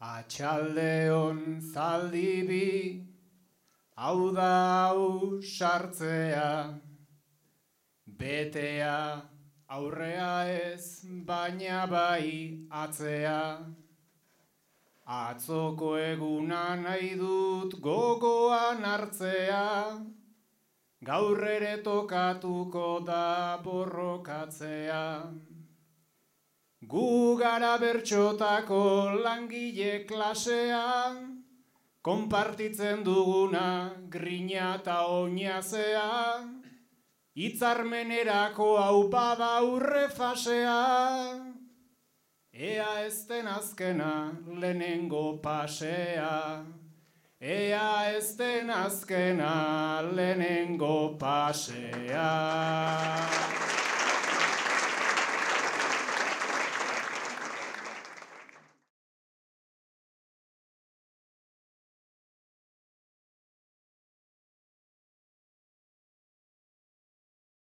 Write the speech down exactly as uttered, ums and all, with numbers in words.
Atxaldeon zaldibi, hau da hau sartzea, betea aurrea ez, baina bai atzea. Atzoko eguna nahi dut gogoan hartzea, gaur ere tokatuko da borrokatzea. Gu gara bertxotako langile klasea, konpartitzen duguna grina eta oinazea, hitzarmenerako hau bada aurre fasea, ea ez den azkena lehenengo pasea, ea ez den azkena lehenengo pasea.